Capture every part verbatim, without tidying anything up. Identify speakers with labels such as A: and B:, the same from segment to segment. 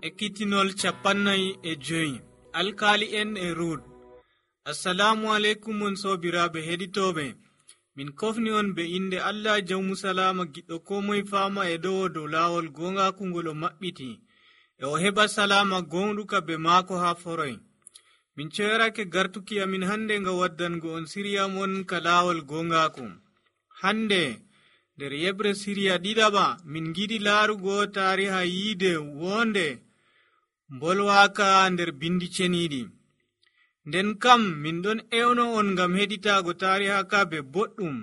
A: Ekkitinol capannay e joyi alkaali'en e Rut. Assalamu aleykum on soobiraaɓe heɗitooɓe. Min kofni on be inde Allah jawmu salama giɗɗo ko moye faama e ɗowo dow laawol gongaku ngol o maɓɓiti e o heɓa salama gonɗuka be maako haa foroy. Min coyrake gartuki amin hande nga waddango on siriya mon ka laawol gongaku. Hande nder yebre siriya ɗiɗaɓa min giɗi laarugo tariha yiide wonde mbolwaka nder bindi ceniɗi. Nden kam min ɗon ewno on ngam heɗitago tariha ka be boɗɗum.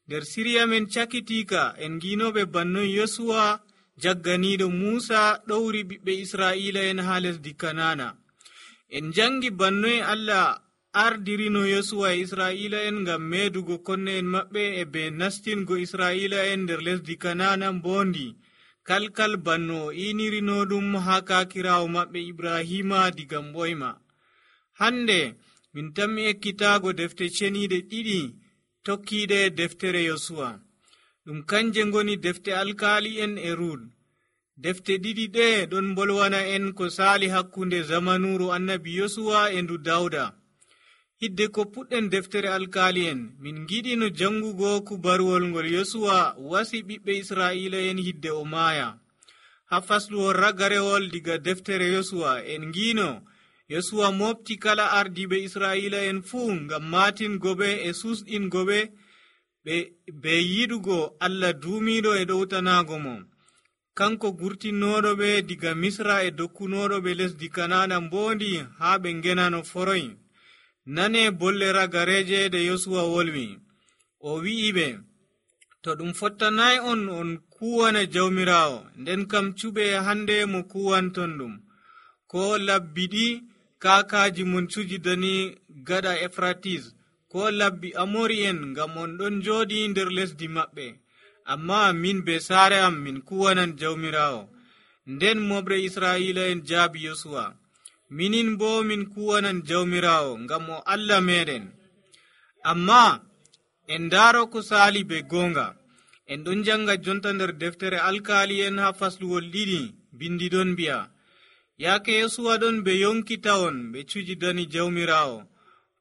A: Nder siriya men cakitika en ginoɓe bannoy Yosuwa jagganiɗo Musa ɗowri ɓiɓɓe Israila en ha lesdi Kanana. En jangi bannoy Allah ardirino Yosuwa e Israila en ngam medugo konne en maɓɓe e be nastingo Israila en nder lesdi Kanana mbondi kalkal banno o inirino ɗum ha kakirawo maɓɓe Ibrahima diga mboyma. Hande min tammi ekkitago defte ceniɗe ɗiɗi tokkiɗe deftere Yosuwa. Ɗum kanje ngoni defte alkaali'en e Rut. Defte ɗiɗi ɗe ɗon bolwana en ko sali hakkunde zamanuru annabi Yosuwa e ndu Dawda. Hidde ko puɗɗen deftere alkaali'en min giɗino jangugo kubaruwol ngol Yosuwa wasi ɓiɓɓe Israila en hidde o maaya. Ha fasluwol ragarewol diga deftere Yosuwa en ngino Yosuwa mofti kala ardiɓe Israila en fuu ngam matingoɓe e susɗingoɓe ɓe be yiɗugo Allah duumiɗo e ɗowtanago mo. Kanko gurtinnoɗo ɓe diga Misra e dokkunoɗo ɓe lesdi Kanana mbondi haa ɓe ngenano foroy. Nane bolle ragareje ɗe Yosuwa wolwi. O wi'i ɓe, to ɗum fottanayi on on kuwana jawmirawo, nden kam cuɓe hande mo kuwanton ɗum. Ko labbi ɗi kakaji mon cujidani gaɗa Efratis, ko labbi Amori en ngam on ɗon joɗi nder lesdi maɓɓe. Amma min be saare am min kuwanan jawmirawo. Nden moɓre Israila en jaabi Yosuwa, minin bo min kuwanan jawmirawo ngam o Allah meɗen. Amma en ndaro ko sali be gonga. En ɗon janga jonta nder deftere alkaali en ha fasluwol ɗiɗi bindi ɗon mbi'a, yaake Yosuwa ɗon ɓe yonkita on ɓe cujidani jawmirawo,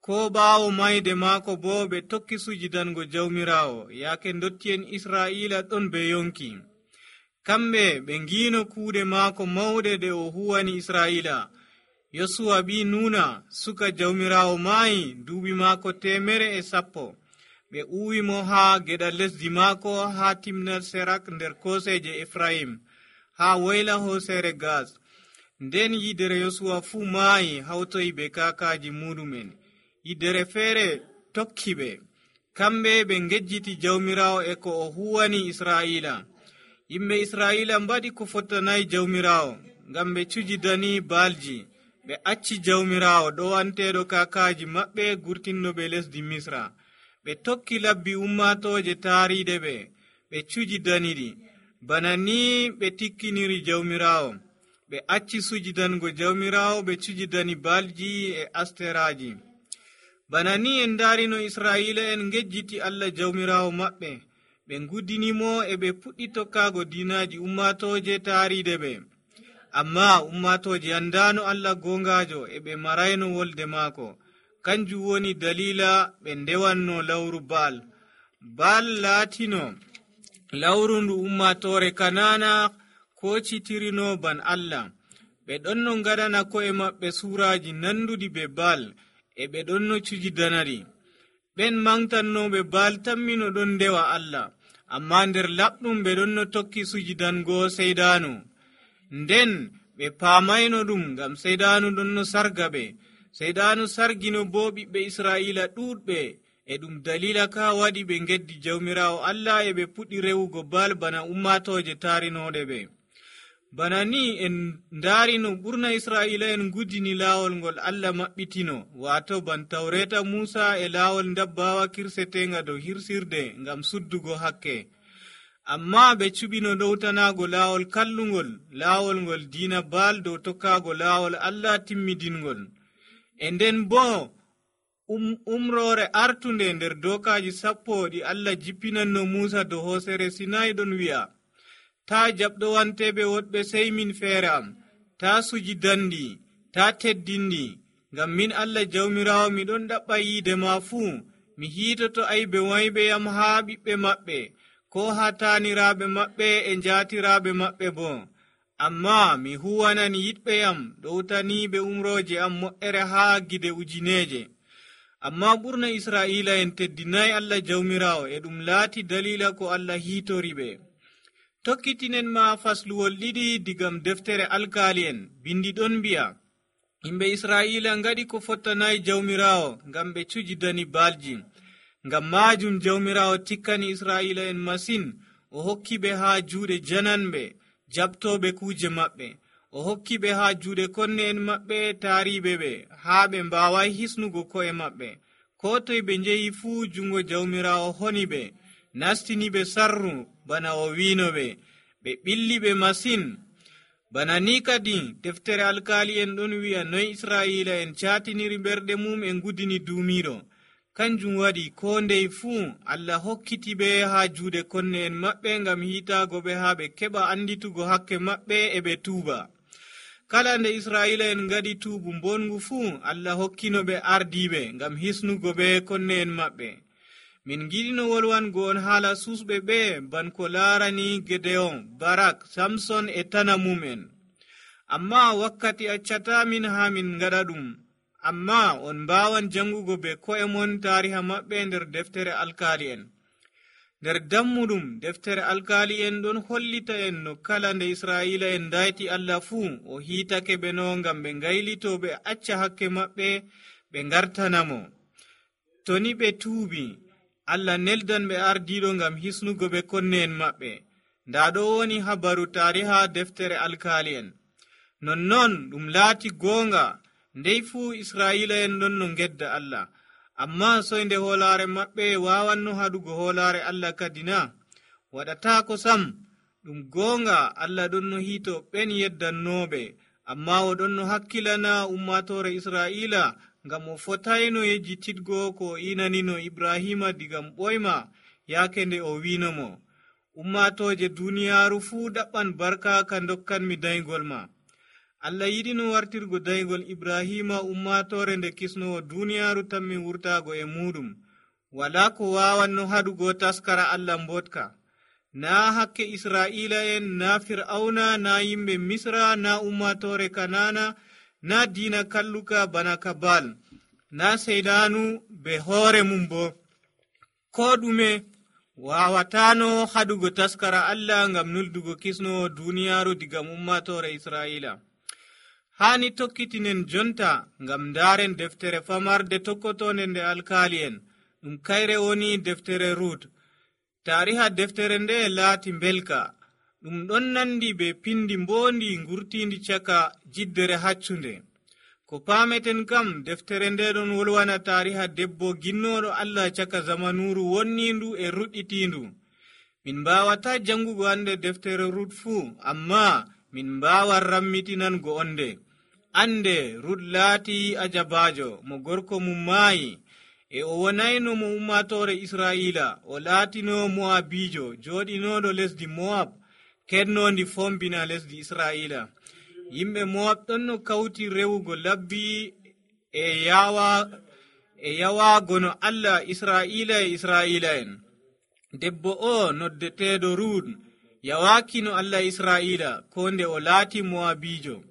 A: ko ɓaawo mayde maako bo ɓe tokki sujidango jawmirawo, yaake dotti en Israila ɗon ɓe yonki. Kamɓe ɓe ngino kuuɗe maako mawɗe ɗe o huwani Israila. Yosuwa ɓi Nuna suka jawmirawo maayi duuɓi maako temere e sappo. Ɓe uwi mo ha geɗa lesdi maako ha timnal Serak nder koseje Efraim ha woyla hosere Gas. Nden yidere Yosuwa fuu maayi hawtoyi be kakaji muɗumen. Yidere feere tokki ɓe. Kamɓe ɓe ngejjiti jawmirawo e ko o huwani Israila. Yimɓe Israila mbaɗi ko fottanayi jawmirawo ngam ɓe cujidani baalji. Ɓe acci jawmirawo ɗowanteɗo kakaji maɓɓe gurtinnoɓe lesdi Misra. Ɓe tokki labbi ummatoje taariɗe ɓe, ɓe cujidaniɗi. Bana ni ɓe tikkiniri jawmirawo. Ɓe acci sujidango jawmirawo, ɓe cujidani baalji e asteraji. Bana ni en darino Israila en ngejjiti Allah jawmirawo maɓɓe. Ɓe nguddinimo e ɓe puɗɗi tokkago dinaji ummatoje taariɗe ɓe. Amma ummatoje andano Allah gongajo e ɓe marayno wolde maako. Kanjum woni dalila ɓe ndewanno lawru Baal. Baal laatino lawru ndu ummatore Kanana kocitirino ban Allah. Ɓe ɗonno ngaɗana ko'e maɓɓe suraji nanduɗi be Baal e ɓe ɗonno cujidanari. Ɓen mangtannoɓe Baal tammino ɗon ndewa Allah, amma nder laɓɗum ɓe ɗonno tokki sujidango seydanu. Nden ɓe paamayno ɗum ngam seydanu ɗonno sarga ɓe. Seydanu sargino bo ɓiɓɓe Israila ɗuɗɓe, e ɗum dalila ka waɗi ɓe geddi jawmirawo Allah e ɓe puɗɗi rewugo Baal bana ummatoje taarinoɗe ɓe. Bana ni en ndaarino ɓurna Israila en guddini laawol ngol Allah maɓɓitino, wato ban tawreta Musa e laawol ndabbawa kirsetenga dow hirsirde ngam suddugo hakke. Amma ɓe cuɓino ɗowtanago laawol kallungol, laawol ngol diina Baal dow tokkago laawol Allah timmidingol. E nden bo um, umrore artunde nder dokaji sappo ɗi Allah jippinanno Musa dow hosere Sinai ɗon wi'a, ta jaɓɗo wanteɓe woɗɓe sey min feere am, taa sujidandi, taa teddindi, ngam min Allah jawmiraawo miɗon ɗaɓɓa yiide ma fuu, mi hiitoto aybe wayɓe yam haa ɓiɓɓe maɓɓe, ko haa taaniraaɓe maɓɓe e njaatiraaɓe maɓɓe boo. Ammaa mi huwanan yiɗɓe yam ɗowtaniiɓe umrooje am mo'ere haa gide ujineeje. Ammaa ɓurna Israa'iila'en teddinayi Allah jawmiraawo, e ɗum laati daliila ko Allah hiitori ɓe. Tokkitinen ma fasluwol ɗiɗi digam deftere alkaali'en. Bindi ɗon mbi'a, yimɓe Israa'iila ngaɗi ko fottanayi jawmiraawo ngam ɓe cujidani baalji. Ngam maajum jawmiraawo tikkani Israa'iila'en masin, o hokki ɓe haa juuɗe jananɓe jaɓtooɓe kuuje maɓɓe. O hokki ɓe haa juuɗe konne'en maɓɓe taariiɓe ɓe, haa ɓe mbaawayi hisnugo ko'e maɓɓe. Koo toye ɓe njehi fuu jungo jawmiraawo honi ɓe, nastini ɓe sarru bana o wiino ɓe, ɓe ɓilli ɓe masin. Bana ni kadi deftere alkaali'en ɗon wi'a noy Israa'iila'en caatiniri ɓerɗe mum e ngudini duumiiɗo. Kanjum waɗi koo ndey fuu Allah hokkiti ɓe haa juuɗe konne'en maɓɓe ngam hiitaago ɓe haa ɓe keɓa anditugo hakke maɓɓe e ɓe tuuba. Kala nde Israa'iila'en ngaɗi tuubu mbongu fuu, Allah hokkino ɓe ardiiɓe ngam hisnugo ɓe konne'en maɓɓe. Min giɗino wolwango on haala susɓe ɓe ban ko laarani Gedeon, Barak, Samson e tana mum'en. Ammaa wakkati accata min haa min ngaɗa ɗum. Ammaa on mbaawan jangugo be ko'e mon taariha maɓɓe nder deftere alkaali'en. Nder dammuɗum deftere alkaali'en ɗon hollita en no kala nde Israa'iila'en dayti Allah fuu, o hiitake ɓe no ngam ɓe ngaylito ɓe acca hakke maɓɓe ɓe ngartanamo. To ni ɓe tuubi, Allah neldan ɓe ardiiɗo ngam hisnugo ɓe konne'en maɓɓe. Ndaa ɗo woni habaru taariha deftere alkaali'en. Nonnon ɗum laati goonga, ndey fuu Israa'iila'en ɗon no ngedda Allah. Ammaa soynde hoolaare maɓɓe waawanno haɗugo hoolaare Allah kadi na? Waɗataako sam. Ɗum goonga Allah ɗon no hiito ɓen yeddannooɓe, ammaa o ɗon no hakkilana ummatoore Israa'iila ngam o fotayno yejjititgo ko o inanino Ibrahima digam ɓoyma yaake nde o wiinomo, ummatooje duuniyaaru fuu ɗaɓɓan barka ka dokkanmi daygol ma. Allah yiɗino wartirgo daygol Ibrahima ummatoore nde kisnowo duuniyaaru tammi wurtaago e muɗum. Walaa ko waawanno haɗugo taskara Allah mbotka. Naa hakke Israa'iila'en, naa Fir'auna, naa yimɓe Misra, naa ummatoore Kanaana, naa diina kalluka bana Kabal, naa seydaanu be hoore mum bo. Koo ɗume waawataano haɗugo taskara Allah ngam nuldugo kisnowo duuniyaaru digam ummatoore Israa'iila. Haani tokkitinen jonta ngam ndaaren deftere famarde tokkotonde nde alkaali'en. Ɗum kayre woni deftere Rut. Taariha deftere nde laati mbelka. Ɗum ɗon nandi be pindi mboondi ngurtiindi caka jiddere haccunde. Ko paameten kam deftere nde ɗon wolwana taariha debbo ginnooɗo Allah caka zamanuuru wonniindu e ruɗɗitiindu. Min mbaawata jangugo ande deftere Rut fuu, ammaa min mbaawan rammitinango onde. Ande Rut laati ajabaajo mo gorko mum maayi, e o wonayno mo ummatoore Israa'iila, o laatino Mo'abijo jooɗinooɗo lesdi Mo'ab, kednoondi fombina lesdi Israa'iila. Yimɓe Mo'ab ɗon no kawti rewugo labbi e yawa e yawaago no Allah Israa'iila e Israa'iila'en. Debbo o noddeteeɗo Rut yawaaki no Allah Israa'iila, ko nde o laati Mo'abijo.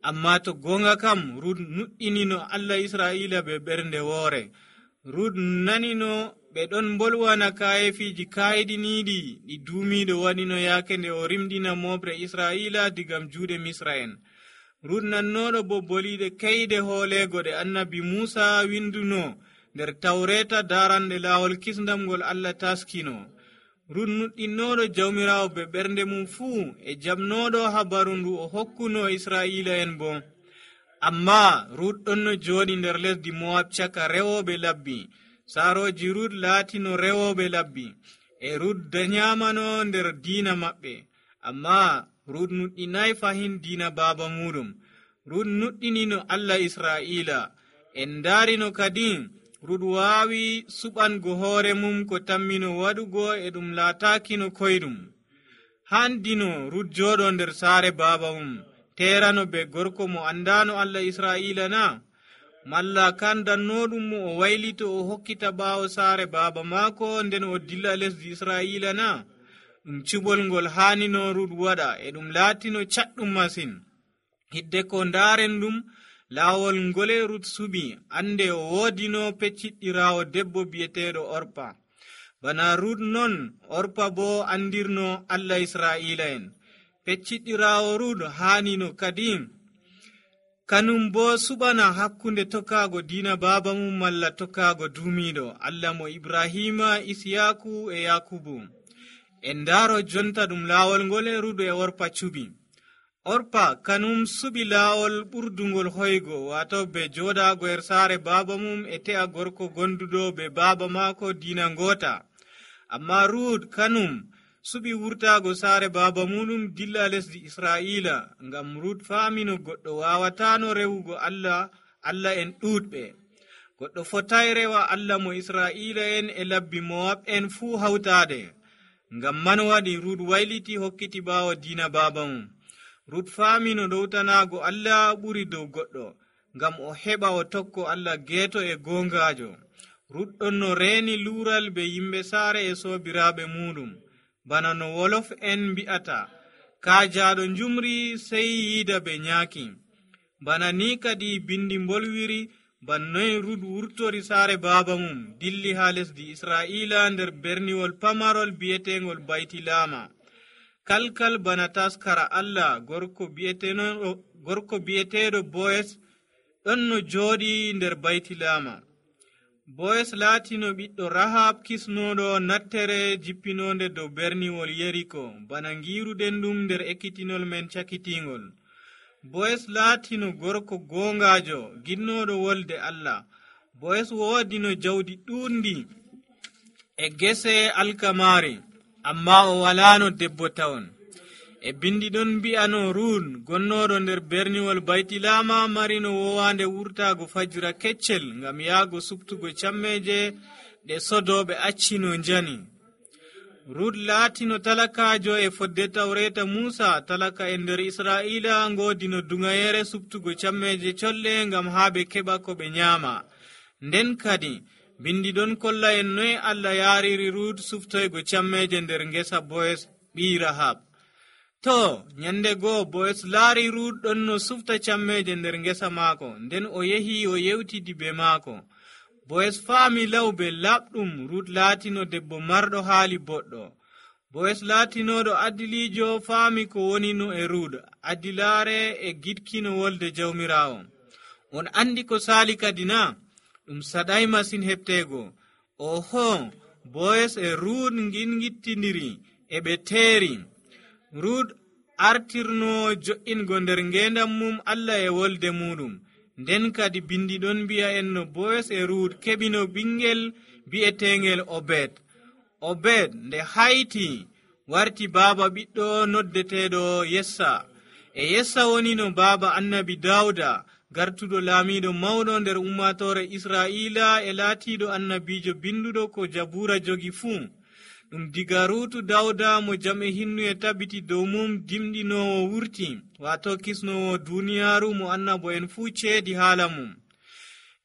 A: Ammaa to goonga kam Rut nuɗɗini no Allah Israa'iila be ɓernde woore. Rut nanino ɓe ɗon mbolwana kayefiiji kaayiɗiniiɗi ɗi duumiiɗo waɗino yaake nde o rimɗina moɓre Israa'iila digam juuɗe Misra'en. Rut nannooɗo bo boliiɗe keyɗe hooleego ɗe annabi Muusa winduno nder tawreeta daaranɗe laawol kisndam ngol Allah taskino. Rut nuɗɗinnooɗo jawmiraawo be ɓernde mum fuu e jaɓnooɗo habaru ndu o hokkuno Israa'iila'en bo. Ammaa Rut ɗon no jooɗi nder lesdi Mo'ab caka rewooɓe labbi. Saarooji Rut laatino rewooɓe labbi, e Rut danyamano nder diina maɓɓe. Ammaa Rut nuɗɗinayi fahin diina baaba muɗum. Rut nuɗɗinino Allah Israa'iila. En ndaarino kadi Rut waawi suɓango hoore mum ko tammino waɗugo e ɗum laataakino koyɗum. Handino Rut jooɗo nder saare baaba mum, terano be gorko mo andano Allah Israa'ila na? Malla kan dannoɗum mo o waylito o hokkita ɓaawo saare baaba maako nden o dilla lesdi Israa'ila na? Ɗum cuɓol ngol haanino Rut waɗa, e ɗum laatino caɗɗum masin. Hidde ko ndaaren ɗum laawol ngole Rut suɓi, ande o woodino pecciɗɗiraawo debbo bi'eteeɗo Orpa. Bana Rut non, Orpa bo andirno Allah Israa'ila en. Pecciɗɗiraawo Rut haanino kadi kanum bo suɓana hakkunde tokkaago diina baaba mum malla tokkaago duumiiɗo Allah mo Ibrahima, Isiyaku e Yakubu. En ndaaro jonta ɗum laawol ngol e Rut e Orpa cuɓi. Orpa kanum suɓi laawol ɓurdungol hoygo, wato be jooɗaago er saare baaba mum e te'a gorko gonduɗo be baaba maako diina ngoota. Amma Rut kanum suɓi wurtaago saare baaba muɗum dilla lesdi Israa'ila, ngam Rut faamino goɗɗo waawataano rewugo Allah, Allah en ɗuuɗɓe. Goɗɗo fotay rewa Allah mo Israa'ila en e labbi Mo'ab en fuu hawtaade. Ngam man waɗi Rut wayliti hokkiti ɓaawo diina baaba mum. Rut faamino ɗowtanaago Allah ɓuri dow goɗɗo, ngam o heɓa o tokko Allah geeto e goongaajo. Rut ɗon no reeni luural be yimɓe saare e soobiraaɓe muɗum. Bana no wolof en mbi'ata, kaajaaɗo njumri sey yiida be nyaaki. Bana ni kadi bindi mbolwiri, bannoy Rut wurtori saare baaba mum, dilli haa lesdi Israa'ila nder berniwol pamarol bi'etengol Baytilama. Kalkal bana taskara Allah, gorko bi'eteeɗo gorko bi'eteeɗo Boyes ɗon no jooɗi nder Baytilama. Boyes laatino ɓiɗɗo Rahab kisnoɗo nattere jippinonde dow berniwol Yeriko, bana ngiruɗen ɗum nder ekkitinol men cakitingol. Boyes laatino gorko goongaajo ginnoɗo wolde Allah. Boyes woodino jawdi ɗuundi e gese alkamari, amma o walano debbo tawon. E bindi ɗon mbi'ano Rut gonnoɗo nder berniwol Baytilama marino wowande wurtago fajira keccel ngam yaago subtugo cammeje ɗe sodoɓe accino njani. Rut laatino talakajo e fodde tawreta Musa, talaka e nder Israa'ila ngodino dungayere subtugo cammeje colle ngam haaɓe keɓa ko ɓe nyaama. Nden kadi bindi ɗon kolla en noy Allah yariri Rut suftoygo cammeje nder ngesa Boyes ɓi Rahab. To nyande goo Boyes laari Rut ɗon no sufta cammeje nder ngesa maako, nden o yehi o yewtidi be maako. Boyes faami lawbe laɓɗum Rut laatino debbo marɗo haali boɗɗo. Boyes laatinoɗo adilijo faami ko wonino e Rut, adilaare e giɗkino wolde jawmirawo. On andi ko saali kadi na? Ɗum saɗay masin heɓtego. Oho, Boyes e Rut ngingittindiri e ɓe teeri. Rut artirno jo'ingo nder ngendam mum Allah e wolde muɗum. Nden kadi bindi ɗon mbi'a en no Boyes e Rut keɓino ɓingel bi'etengel Obed. Obed nde hayti warti baaba ɓiɗɗo noddeteɗo Yessa. E Yessa woni no baaba annabi Dawda, gartuɗo laamiɗo mawɗo nder ummatore Israa'ila e laatiɗo annabijo binduɗo ko Jabura jogi fuu. Ɗum diga Rutu Dawda mo jam e hinnu e tabiti dow mum dimɗinowo wurti, wato kisnowo duniyaaru mo annabo en fuu ceedi haala mum.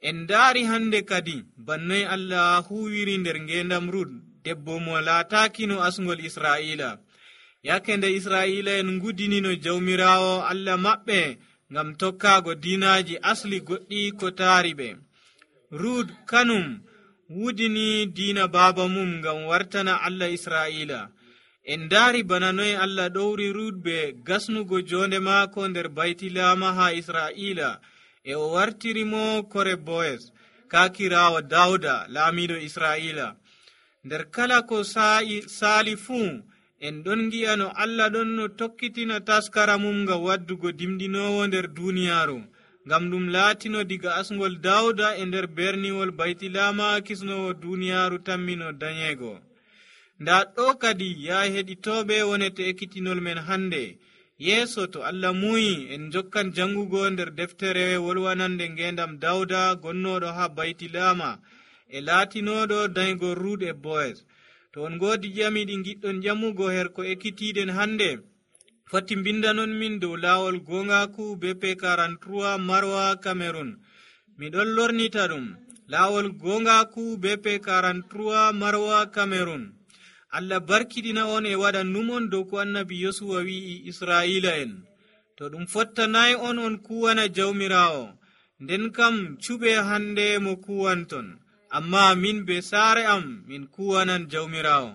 A: En ndaari hande kadi bannoy Allah huwiri nder ngendam Rut, debbo mo laatakino asngol Israa'ila. Yake nde Israa'ila en ngudinino jawmirawo Allah maɓɓe ngam tokkaago diinaji asli goɗɗi ko taari ɓe. Rut kanum wudini diina baaba mum ngam wartana Allah Israa'ila. En ndaari bana noy Allah ɗowri Rut be gasnugo jonde maako nder Baytilama ha Israa'ila, e o wartirimo kore Boyes, kakirawo Dawda laamiɗo Israa'ila. Nder kala ko saali fuu en ɗon gi'a no Allah ɗon no tokkitina taskara mum ngam waddugo dimɗinowo nder duniyaaru, ngam ɗum laatino diga asngol Dawda e nder berniwol Baytilama kisnowo duniyaaru tammino dañeego. Nda ɗo kadi ya heɗitoɓe wonete ekkitinol men hande. Yeeso to Allah muyi en jokkan jangugo nder deftere wolwanande ngendam Dawda gonnoɗo ha Baytilama e laatinoɗo dañgo Rut e Boyes. To on ngoodi ƴami ɗi giɗɗon ƴamugo her ko ekkitiɗen hande, foti mbindanon min dow laawol gongaku be P quarante-trois Marwa Cameroon. miɗon lornita ɗum laawol gongaku be P quarante-trois Marwa Cameroon. Allah barkiɗina on e waɗa numon dow ko annabi Yosuwa wi'i Israila en. to ɗum fottanayi on on kuwana jawmirawo, nden kam cuɓe hande mo kuwanton, amma min be saare am min kuwanan jawmirawo.